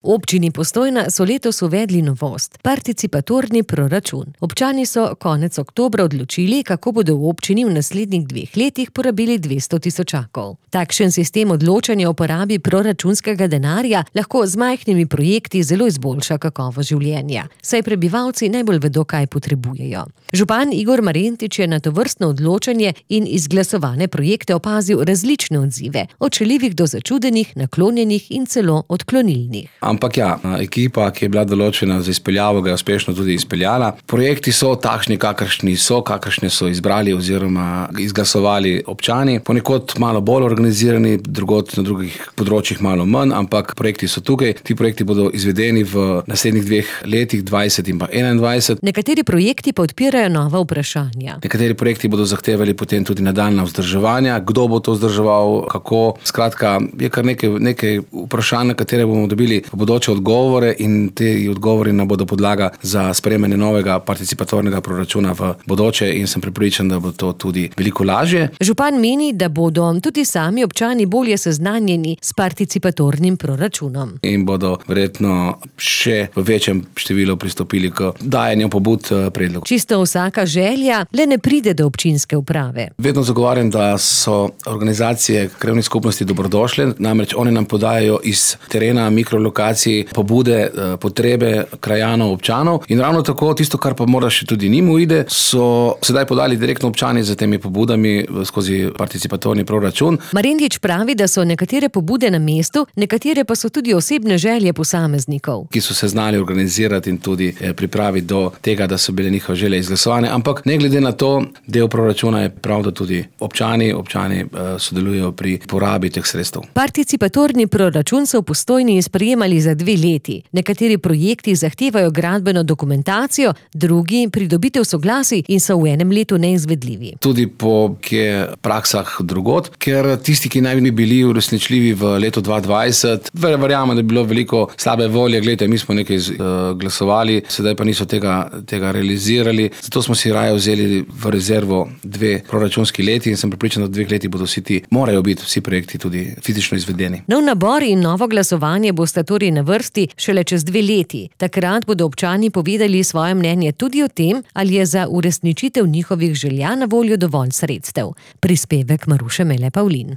V občini Postojna so letos uvedli novost – participatorni proračun. Občani so konec oktobra odločili, kako bodo v občini v naslednjih 2 letih porabili 200 tisočakov. Takšen sistem odločanja o porabi proračunskega denarja lahko z majhnimi projekti zelo izboljša kakovost življenja, saj prebivalci najbolj vedo, kaj potrebujejo. Župan Igor Marentič je na tovrstno odločanje in izglasovane projekte opazil različne odzive, od šaljivih do začudenih, naklonjenih in celo odklonilnih. Ampak ja, ekipa, ki je bila določena za izpeljavo, ga je uspešno tudi izpeljala. Projekti so takšni, kakršni so izbrali oziroma izglasovali občani. Ponekod malo bolj organizirani, drugod na drugih področjih malo manj, ampak projekti so tukaj. Ti projekti bodo izvedeni v naslednjih 2 letih, 20 in pa 21. Nekateri projekti pa odpirajo nova vprašanja. Nekateri projekti bodo zahtevali potem tudi nadaljnja vzdrževanja. Kdo bo to vzdrževal, kako? Skratka, je kar nekaj vprašanj, na katere bomo dobili bodoče odgovore, in te odgovori nam bodo podlaga za sprejemanje novega participatornega proračuna v bodoče, in sem prepričan, da bo to tudi veliko lažje. Župan meni, da bodo tudi sami občani bolje seznanjeni s participatornim proračunom. In bodo verjetno še v večjem številu pristopili k dajanju pobud predlogov. Čisto vsaka želja le ne pride do občinske uprave. Vedno zagovarjam, da so organizacije krajevnih skupnosti dobrodošle, namreč oni nam podajajo iz terena, mikrolokacij, pobude, potrebe krajanov, občanov, in ravno tako tisto, kar pa mora še tudi njim uide, so sedaj podali direktno občani za temi pobudami skozi participatorni proračun. Marentič pravi, da so nekatere pobude na mestu, nekatere pa so tudi osebne želje posameznikov, ki so se znali organizirati in tudi pripraviti do tega, da so bile njihove želje izglasovane, ampak ne glede na to, del proračuna je prav, da tudi občani sodelujejo pri porabi teh sredstev. Participatorni proračun so v Postojni sprejemali za 2 leti. Nekateri projekti zahtevajo gradbeno dokumentacijo, drugi pridobitev soglasij in so v enem letu neizvedljivi. Tudi po praksah drugod, ker tisti, ki naj bi bili uresničljivi v letu 2020, verjamem, da je bilo veliko slabe volje, glejte, mi smo nekaj glasovali, sedaj pa niso tega realizirali, zato smo si raje vzeli v rezervo 2 proračunski leti in sem prepričan, da v 2 letih bodo morajo biti vsi projekti tudi fizično izvedeni. Nov nabor in novo glasovanje bosta torej na vrsti šele čez 2 leti. Takrat bodo občani povedali svoje mnenje tudi o tem, ali je za uresničitev njihovih želja na voljo dovolj sredstev. Prispevek Maruše Mele Pavlin.